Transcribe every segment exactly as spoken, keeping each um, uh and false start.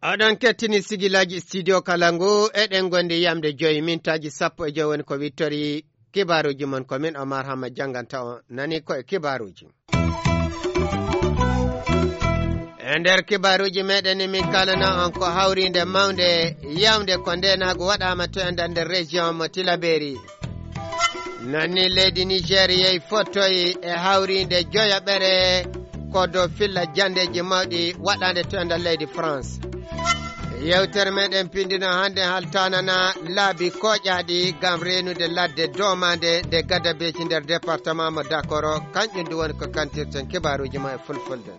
Oɗon kettini sigilaaji studio kala ngu, eɗen ngondi yamde joyi mintaaji sappo e joyi woni ko wittori kibaaruuji mon. Ko min Omar Hamma jannganta on, nani ko e kibaaruuji. E nder kibaaruuji meɗen ni min kalana on ko hawriinde mawnde yawnde ko ndeenaagu waɗaama to e nder région mo Tilaberi. Nani leydi Niger yehi fottoyi e hawriinde joyaɓere ko dow filla janndeeji mawɗi waɗaande to e nder leydi France. Yewtere meɗen pindino hannde haltanana laabi koƴaaɗi ngam reenude ladde domaande nde Gadabeji nder département mo Dakoro, kanƴum ndu woni ko kantirten kibaaruuji ma e fulfulde.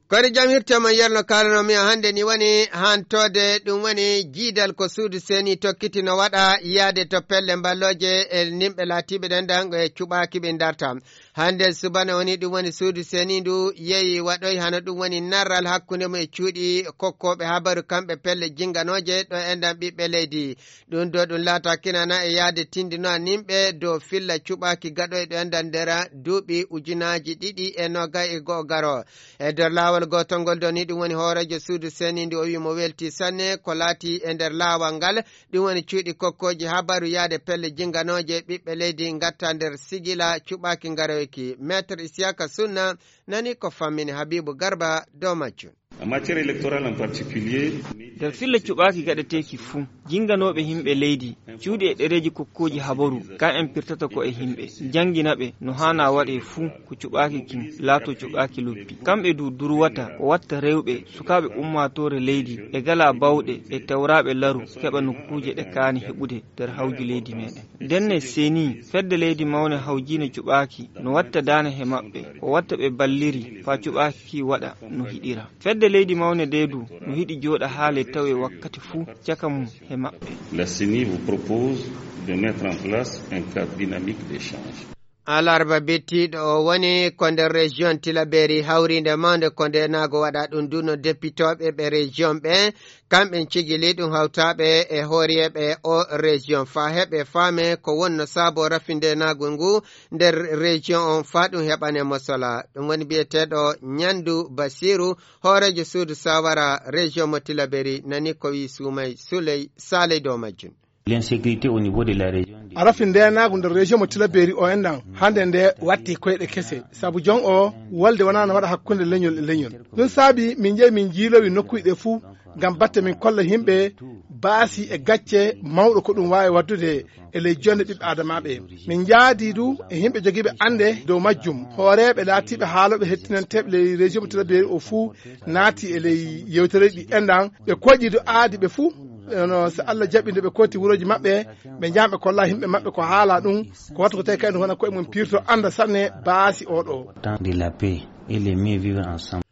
Kono jam hirte mon yerno kalano mi hannde ni woni hantode ɗum woni jiidal ko suudu seni tokkiti no waɗa yaade to pelle mballooje e nimɓe laatiiɓe ɗen ɗan e cuɓaaki ɓe darta. Hannde subana woni ɗum woni suudu seni ndu yehi waɗoy hano ɗum woni narral hakkunde mum e cuuɗi kokkooɓe habaru kamɓe pelle jinganooje ɗo enɗan ɓiɓɓe leydi. Ɗum ɗo ɗum laata kinana e yaade tindinoa nimɓe dow filla cuɓaaki gaɗoyɗo enɗan nder duuɓi ujunaaji ɗiɗi e noogay e go'o garo. E nder laawol gootol ngol ɗo ni ɗum woni hooreejo suudu seni ndu o wi mo welti sanne ko laati e nder laawol ngal. Ɗum woni cuuɗi kokkooji habaru yaade pelle jinganooje ɓiɓɓe leydi ngatta nder sigila cuɓaaki ngaroyki. Maître Isiyaka Sunna nani ko fammini Habibu Garba dow majjum. En matière électorale en particulier, nder filla cuɓaaki gaɗeteeki fuu, jinganooɓe himɓe leydi, cuuɗi e ɗereeji kokkooji habaru, ka en pirtata ko e himɓe, jangina ɓe no haana waɗe fuu, ko cuɓaaki kin laato cuɓaaki loppi. Kamɓe du durwata ko watta rewɓe, sukaaɓe ummaatoore leydi, e gala bawɗe, e tewraaɓe laru, keɓa nokkuuje ɗe kaani heɓude nder hawju leydi meɗen. Ndenne seni, fedde leydi mawne hawjiine cuɓaaki, no watta daane he maɓɓe, ko watta ɓe balliri, faa cuɓaaki waɗa no hiɗira. Fedde leydi mawne nde du, no hiɗi jooɗa haale tawe wakkati fuu caka mum he maɓɓe. La ceni vous propose de mettre en place un cadre dynamique d'échange. Alarba bettiiɗo o woni ko nder région Tilaberi hawriinde mawnde ko nde naago waɗa ɗum du no depitooɓe ɓe région ɓe, kamɓe cigili ɗum hawtaaɓe e hooriyeeɓe o région faa heɓe faame ko wonno saabo rafi nde naago ngu nder région on faa ɗum heɓane mosola. Ɗum woni biyeteeɗo Ñandu Basiru, hooreejo suudu sawara région mo Tilaberi, nani ko wi Suumay Suley Saaley dow majjum. L'insécurité au niveau de la région. Arafi ndenaagu nder région mo Tilaberi o enɗan hannde nde watti koyɗe kese. Sabu jon o wolde wonaa no waɗa hakkunde leñol e leñol. Ɗum saabi min njehi min njiilowi nokkuuji ɗe fuu ngam batte min kolla yimɓe baasi e gacce mawɗo ko ɗum waawi waɗdude e ley jonde ɓiɓɓe aadamaaɓe. Min njaadi du e yimɓe jogiiɓe annde dow majjum. Hooreeɓe laatiiɓe haalooɓe hettinanteeɓe ley région mo Tilaberi o fuu naati e ley yewtereeji ɗi enɗan. Ɓe koƴi du aadi ɓe fuu. Eno, so Allah jaɓi nde ɓe kooti wurooji maɓɓe, ɓe njaha ɓe kolla yimɓe maɓɓe ko haala ɗum, ko wattu ko tawi kadi wona koye mum pirto annda sanne baasi oɗo. Temps de la paix et les mieux vivre ensemble.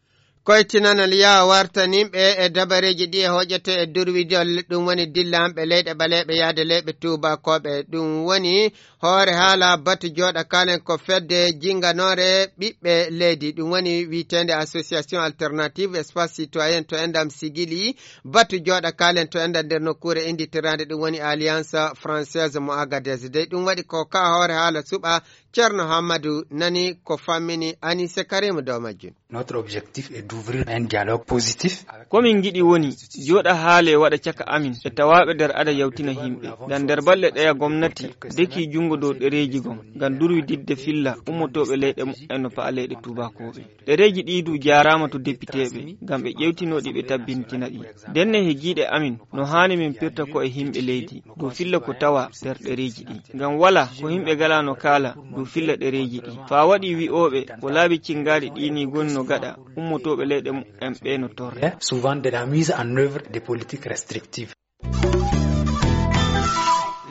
Koytinanal yaa wartaninɓe e dabareeji ɗi e hoƴete e durwidol, ɗum woni dillanɓe leyɗe ɓaleeɓe yaade leyɓe tuubakooɓe. Ɗum woni hoore haala batu jooɗa kaalen ko fedde jinganoore ɓiɓɓe leydi. Ɗum woni wiiteende Association Alternative Espace Citoyen to enɗam sigili. Batu jooɗa kaalen to enɗam nder nokkuure innditiraande ɗum woni Alliance Française mo Agadez. Dey ɗum waɗi ko ka hoore haala suɓa Ceerno Hammadu nani ko fammini Anise Karim dow majjum. Notre objectif est d'ouvrir un dialogue positif. Ko min ngiɗi woni jooɗa haale waɗa caka amin e tawaaɓe nder ada yawtina yimɓe. Ngam nder balɗe ɗeya gomnati deki junngo dow ɗereeji gom ngam durwididde filla ummotooɓe leyɗe mumen no pa'a leyɗe tuubakooɓe. Ɗereeji ɗi du jaaraama to depiteeɓe ngam ɓe ƴewtinoo ɗi ɓe tabbintina ɗi. Ndenne he giiɗe amin no haani min pirta ko e yimɓe leydi dow filla ko tawa nder ɗereeji ɗi. Ngam walaa ko yimɓe galaa no kaala dow filla ɗereeji ɗi. Faa waɗi wi'ooɓe ko laabi cinngaaɗi ɗi ni goni no gaɗa ummotooɓe leyɗe mumen ɓe no torre. Souvent de la mise en œuvre des politiques restrictives.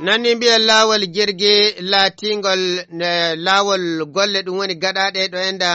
Nani mbiya laawol jirgi laatiingol, eh, laawol golle ɗum woni gaɗaaɗe ɗo enda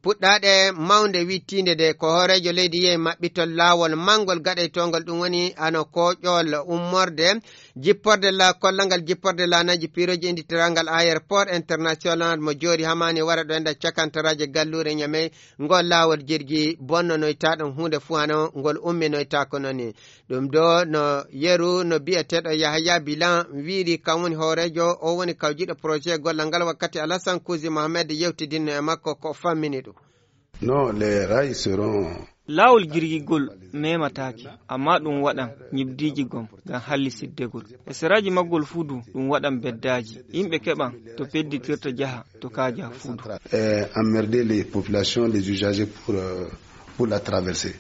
puɗɗaaɗe mawnde wittiinde de ko hooreejo leydi yehi maɓɓitol laawol manngol gaɗaytoongol ɗum woni ano kooƴol ummorde jipporde la kollal ngal jipporde laanaaji piirooji innditiraagal aéroport international mo Joori Hamaani wara ɗo enda cakantaraaje galluure Ñamey. Ngol laawol jirgi bonnonoytaa ɗum huunde fuu hano ngol umminoytaako noon ni. Ɗum ɗo no yeru no biyeteeɗo Yahaya Bilan wiiri kam woni hooreejo o woni kawjiiɗo projet gollal ngal wakkati Alassane Kuzi Mohamed yewtidinno e makko ko fammini ɗum. Non, les rails seront Laawol jirgigol memataake, amma ɗum waɗan ñibdiiji gom ngam hallisiddegol. E seraaji maggol fuu du ɗum waɗan beddaaji. Yimɓe keɓan to pedditirta jaha to kaaja fuu du. Euh, emmerder les populations, les usagers pour, euh, pour la traversée.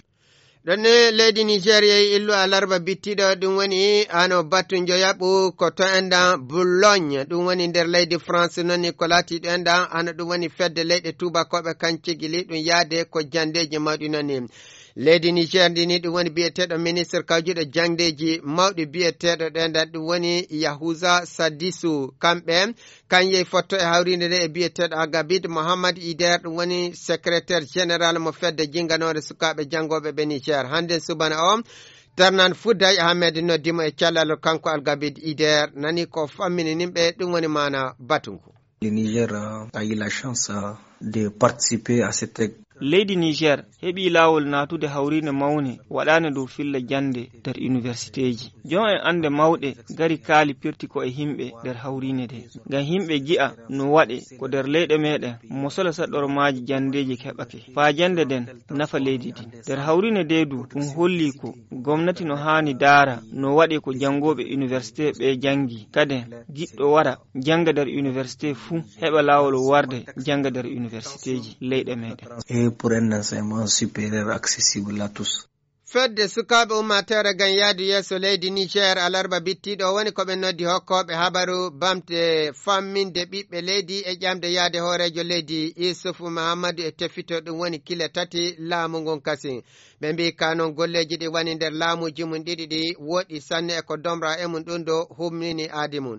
Ɗon ne leydi Niger yehi illu alarba bittiɗo ɗum woni ano batu njoyaɓu ko to endan Boulogne ɗum woni nder leydi France noni ko laati ɗo endan ano ɗum woni fedde leyɗe tubakoɓe kan cigili ɗum yaade ko jandeji mawɗi noni. Leydi Niger ndi ni ɗum woni biyeteɗo ministre kawjuɗo jangdeji mawɗi biyeteɗo ɗo endan ɗum woni Yahuza Sadisu kamɓe kan yehi fotto e hawrinde nde e biyeteɗo Agabid Mohammad Ider ɗum woni secrétaire général mo fedde jinganore sukaɓe jangoɓe ɓe Niger hannden subana o. Tarnan Fouday Ahmed noddimo e callal kanko Algabid Ider nani ko fammini nimɓe ɗum woni mana batu ngu. Le Niger a eu la chance de participer à cette Leydi Niger heɓi laawol naatude hawriinde mawnde waɗaande dow filla jannde nder iniwersiteeji. Joom en annde mawɗe ngari kaali pirti ko e yimɓe nder hawriinde nde. Ngam yimɓe ngi'a no waɗe ko nder leyɗe meeɗen mosola saɗormaaji janndeeji keɓake. Faa jannde nden nafa leydi ndin. Nder hawriinde nde du ɗum holli ko gomnati no haani daara no waɗe ko janngooɓe iniwersitee ɓe janngi. Kaden giɗɗo wara jannga nder iniwersitee fuu heɓa laawol warde jannga nder iniwersiteeji leyɗe meeɗen. Et pour un enseignement supérieur accessible à tous. Fedde sukaaɓe ummaatoore ngam yahdu yeeso leydi Niger alarba bittiiɗo woni ko ɓe noddi hokkooɓe habaru bamte famminde ɓiɓɓe leydi e ƴamde yahde hooreejo leydi Isufu Mahammadu e tefito ɗum woni kile tati laamu ngun kasi. Ɓe mbii ka noon golleeji ɗi woni nder laamuuji mum ɗiɗi ɗi woɗɗi sanne e ko domra e mum ɗum ɗo humnini aadi mum.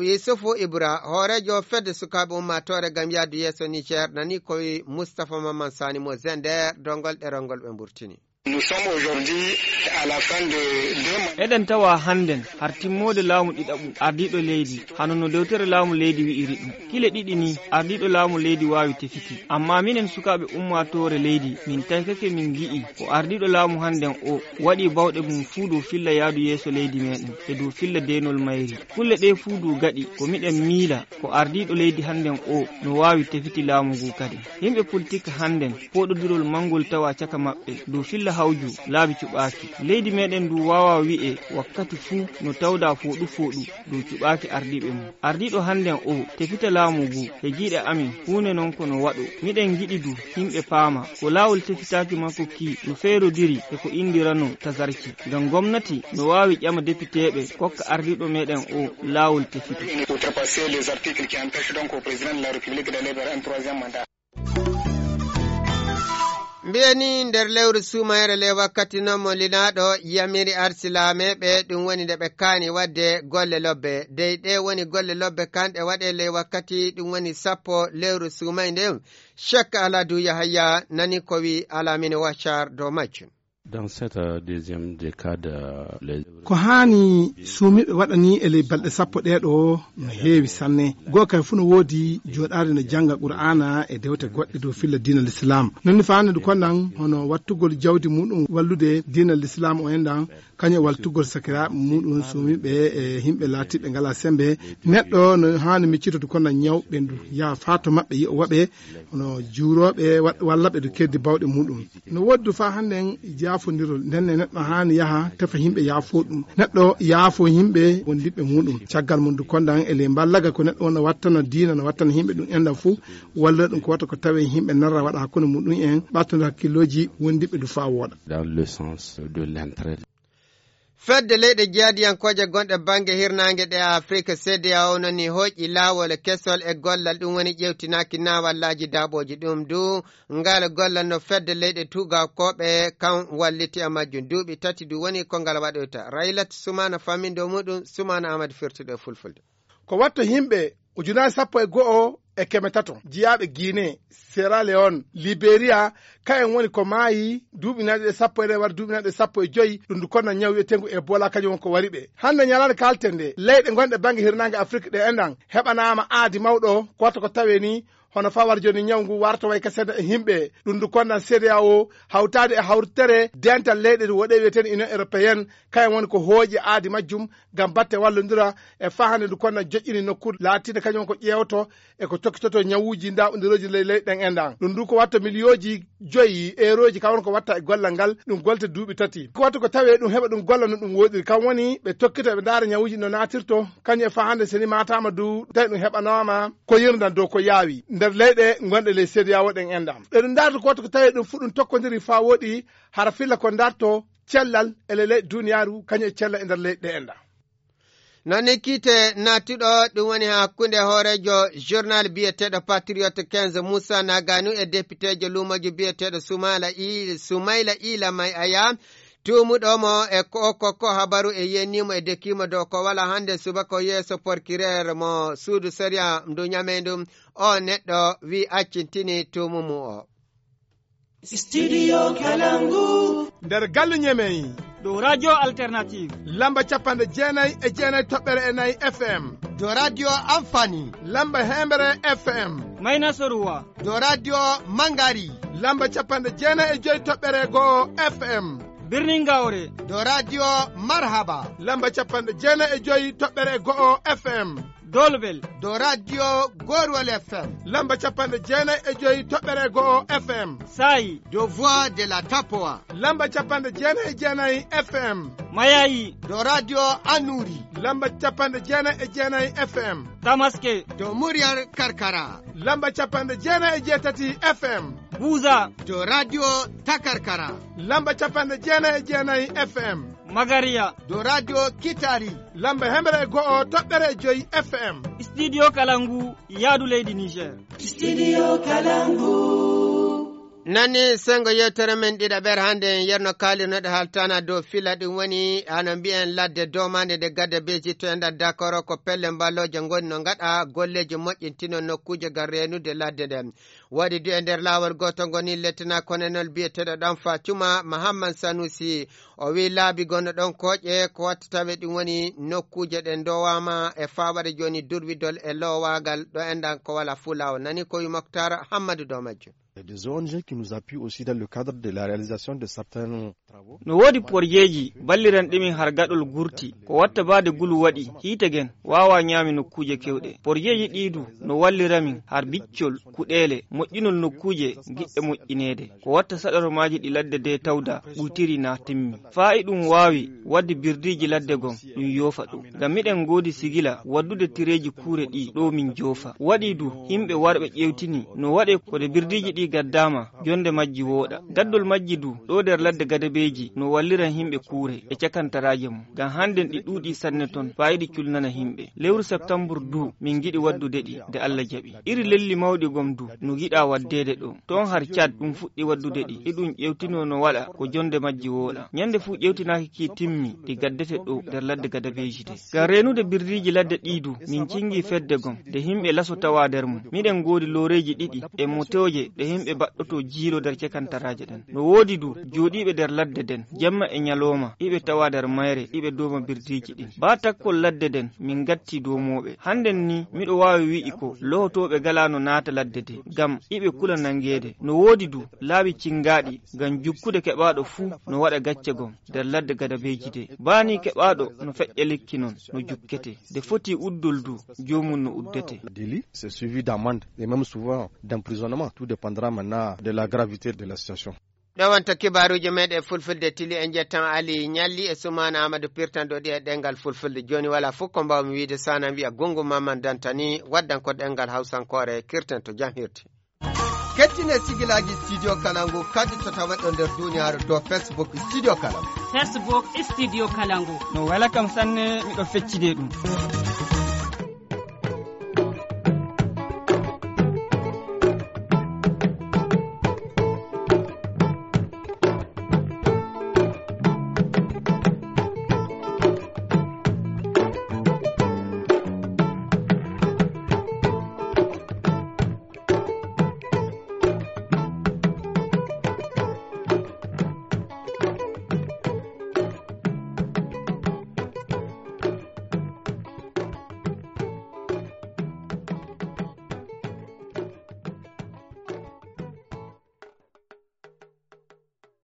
Yusufu Ibra hooreejo fedde sukaaɓe ummaatoore ngam yahdu yeeso Niger nani ko wi Mustapha Mamman Sani mo Zender dongol ɗerol ngol ɓe mburtini. Nous sommes aujourd'hui à la fin de deux mandats. Eɗen tawa hannden har timmoode laamu ɗiɗaɓu ardiiɗo leydi hano no dewtere laamu leydi wi'iri ɗum. Kile ɗiɗi ni ardiiɗo laamu leydi waawi tefiti. Amma minen sukaaɓe ummaatoore leydi min taykake min ngi'i ko ardiiɗo laamu hannden o waɗi bawɗe mum fuu dow filla yahdu yeeso leydi meeɗen e dow filla deenol mayri. Kulle ɗee fuu du gaɗi ko miɗen miila ko ardiiɗo leydi hannden o no waawi tefiti laamu ngu kadi. Yimɓe politik hannden pooɗodirol manngol tawa caka maɓɓe dow filla hawju laabi cuɓaaki. Leydi meeɗen ndu waawaa wi'e wakkati fuu no tawda fooɗu fooɗu dow cuɓaaki ardiiɓe mum. Ardiiɗo hannden o tefita laamu ngu e giiɗe amin huunde non ko no waɗo. Miɗen ngiɗi du yimɓe paama ko laawol tefitaaki makko ki no feerodiri e ko inndirano tazarki. Ngam gomnati no waawi ƴama depiteeɓe kokka ardiiɗo meeɗen o laawol tefito. Outrepasser les articles qui empêchent donc au président de la République d'aller vers un troisième mandat. Mbiyani nder lewru suumayre ley wakkati noon mo linaaɗo yamiri arsilaameeɓe ɗum woni nde ɓe kaani waɗde golle lobbe dey ɗe woni golle lobbe kanɗe waɗe ley wakkati ɗum woni sappo lewru suumay nde. Chek aladu yahaya nani ko wi alamine waccar dow majjum. Dans cette, euh, deuxième décade, euh, les Ko haani suumiiɓe waɗani e ley balɗe sappo ɗee ɗoo no heewi sanne. Goo kay fuu no woodi jooɗaade no jannga Qur'aana e dewte goɗɗe dow filla diina Lislaam. Non ni faandu konnan hono wattugol jawdi muɗum wallude diina Lislaam o enɗan, kañum e wattugol sakiraaɓe muɗum suumiiɓe e yimɓe laatiiɓe ngalaa semmbe. Neɗɗo no haani miccitoto konnan ñaw ɓendu, yaha faa to maɓɓe, yi'o waɓe hono juurooɓe wa-, walla ɓe du keddi bawɗe muɗum. No woodi du faa hannden jaafondirol. Nden ne neɗɗo haani yaha tefa yimɓe yaafoo ɗum. Neɗɗo yaafoo yimɓe wondiɓɓe muɗum. Caggal mum du kondan e ley mballaga ko neɗɗo on no wattana diina, no wattana yimɓe ɗum enɗan fuu, walla ɗum ko wata ko tawee yimɓe narra waɗa hakkunde muɗum en, ɓattude hakkillooji wondiɓɓe du faa wooɗa. Dans le sens de l'entraide. Fedde leyɗe jeyaadiyankooje gonɗe bannge hirnaange ɗe Afrik, C D A O, nani hooƴi laawol kesol e gollal, ɗum woni ƴeewtinaaki naawallaaji daaɓooji. Ɗum du, ngal gollal no fedde leyɗe tuugakooɓe kan walliti e majjum. Duuɓi tati du woni ko ngal waɗoyta. Raylat Sumana fammindo muɗum, Sumana Ahmad firtuɗo e fulfulde. Ko watta yimɓe ujunaaji sappo e go'o e keme tato jiyaaɓe Guinée, Sierra Leone, Liberia, kayen woni ko maayi duuɓi nayi ɗe sappo e nayi wara duuɓi nayi ɗe sappo e joyi, ɗum ndu konna ñaw wi'etengu Ebola, kañum won ko wari ɓe. Hannde ñalaande kaalten nde, leyɗe gonɗe bannge hirnaange Afrik ɗe enɗan heɓanaama aadi mawɗo, ko watta ko tawee ni, hono fawar jooni ñaw ngu warta way ka seeɗa e yimɓe, ɗum ndu konnan C D A O, hawtaade e hawtere dental leyɗe woɗe wi'eten Union Européenne, kayen woni ko hooƴi aadi majjum, ngam batte wallondira e fahande ndu konna joƴƴini nokku laatiinde kañum ko ƴeewto e ko tokkitoto ñawuuji ndaɓondirooji ley leyɗe ɗen enɗan. Ɗum ndu ko watta miliyooji joyi eerooji, ka won ko watta e gollal ngal, ɗum golte duuɓi tati. Ko watta ko tawee ɗum heɓa ɗum golla no ɗum woɗiri. Kam woni ɓe tokkita ɓe ndaara ñawuuji no naatirto, kañum e fahande so ni maataama du, tawi ɗum heɓanaama ko yirdan dow ko yaawi nder leyɗe gonɗe ley C D A O ɗen enɗan. Ɓe ɗum ndaarta ko watta ko tawee ɗum fu ɗum tokkondiri faa woɗi, hara filla ko ndarto cellal e ley leyɗe duniyaaru, kañum e cellal e nder leyɗe ɗe enɗan. Noon ni kiite naatuɗo, ɗum woni hakkunde hooreejo journal biyeteeɗo Patriote quinze, Moussa Naganu, e depiteejo luumooji biyeteeɗo Sumaila I-, Sumaila Ila May Aya, tuumuɗo mo e ko, ko, ko habaru e yenniimo e dekiimo dow ko wala hannde subaka yeeso porkireer mo suudu sariya ndu ñamey ndu. O neɗɗo wi accintini tuumu mu o. Studio Kalangu. Nder galle ñemey. Dow Radio Alternative. Lamba capanɗe jeenayi e jeenayi toɓɓere e nayi F M. Dow Radio Amfani. Lamba hembre F M. Mayna Soruwa. Dow Radio Mangari. Lamba capanɗe jeenayi e joyi toɓɓere go'o F M. Birnin Gawre. Dow Radio Marhaba. Lamba capanɗe jeenayi e joyi toɓɓere go'o F M. Dolbel. Dow Radio Gorwal F M. Lamba capanɗe jeenayi e joyi toɓɓere go'o F M. Sayi. Dow Voix de la Tapoa. Lamba capanɗe jeenayi e jeenayi F M. Mayayi. Dow Radio Anuri. Lamba capanɗe jeenayi e jeenayi F M. Tamaske. Dow Muryar Karkara. Lamba capanɗe jeenayi e jeetati F M. Buza. Dow Radio Takarkara. Lamba capanɗe jeenayi e jeenayi F M. Magariya. Dow Radio Kitari. Lamba hemre e go'o toɓɓere e joyi F M. Studio Kalangu, yaadu leydi Niger. Studio Kalangu. Nani sengo yewtere men ɗiɗaɓere hannde, en yerno kaalirnoɗe haaltana dow fila, ɗum woni hano mbiyen ladde doomande nde gadda beji to e nder Dakoro, ko pelle mballooje ngoni no ngaɗa golleeji moƴƴintino nokkuuje ngam reenude ladde nden. Waɗi du e nder laawol gooto ngoni Lieutenant Colonel biyeteeɗo Ɗanfa Cuma Mahamman Sanusi. O wi'i laabi gonno ɗon kooƴe ko watta tawe ɗum woni nokkuuje ɗe ndowaama e faaɓade jooni durwidol e loowaagal ɗo enɗan ko wala fuu laawol. Nani ko wi Moktar Hammadu dow majjum. Il y a des O N G qui nous appuient aussi dans le cadre de la réalisation de certains travaux. No woodi porjeeji balliranɗi min har gaɗol gurti. Ko watta baade gulu waɗi, hiite gen waawaa ñaami nokkuuje kewɗe. Porjeeji ɗii du no wallira min har biccol, kuɗeele, moƴƴinol nokkuuje giɗɗe moƴƴineede. Ko watta saɗormaaji ɗi ladde de tawda ɓuytiri na timmi. Faa iɗum waawi waɗde birdiiji ladde gom, ɗum yoofa ɗo. Ngam miɗen ngoodi sigila waddude tireeji kuure ɗi ɗo min joofa. Waɗi du, yimɓe warɓe ƴeewtini no waɗe ko de birdiiji ɗi gaddaama, jonde majji wooɗa. Gaddol majji du, ɗo nder ladde gadabeeji no walliran yimɓe kuure e cakantaraaje mum. Ngam hannden ɗi ɗuuɗi sanne ton, faa iɗi culnana yimɓe. Lewru septambur du, min ngiɗi waddude ɗi, nde Allah jaɓi. Iri lelli mawɗi gom du, no giɗa waddeede ɗo. Toon har Caad ɗum fuɗɗi waddude ɗi, iɗum ƴeewtinoo no waɗa ko jonde majji wooɗa. Ñande fuu ƴeewtinaaki ki timmi, ɗi gaddete ɗo nder ladde gadabeeji de. Ngam reenude birdiiji ladde ɗii du, min cingi fedde gom, de yimɓe laso tawa nder mum. Miɗen ngoodi looreeji ɗiɗi e motooje ɗe yimɓe baɗɗotoo jiilo nder cekantaraaje ɗen. No woodi du, jooɗiiɓe nder ladde den, jemma e ñalooma, iɓe tawa nder mayre, iɓe dooma birdiiji ɗin. Baa takkol ladde den, min ngatti doomooɓe. Hannden ni, miɗo waawi wi'i ko lohotooɓe galaano naata ladde de, ngam iɓe kula nangeede. No woodi du, laabi cingaaɗi, ngam jukkude keɓaaɗo fuu no waɗa gacce gom nder ladde gadabeeji de. Baa ni keɓaaɗo no feƴƴa lekki non, no jukkete. De foti uddol du, joomum no uddete. Délit, c'est suivi d'amende et même souvent d'emprisonnement. Tout dépendra maintenant de la gravité de la situation. Ɗo wonta kibaaruuji meeɗen fulfulde tili, en njettan Ali Ñalli e Sumaana Aamadu pirtanɗo ɗi e ɗemngal fulfulde. Jooni walaa fof ko mbaawmi wiyde, so a nanii wiya Gunngu Maman Dantani, waddan ko ɗemngal Hawsankoore, kirten to jam hirti. Kettine sigilaaji Studio Kalangu kadi to taweɗo nder duniyaaru dow Facebook Studio Kalangu. Facebook Studio Kalangu. No wela kam sanne, miɗo feccide ɗum.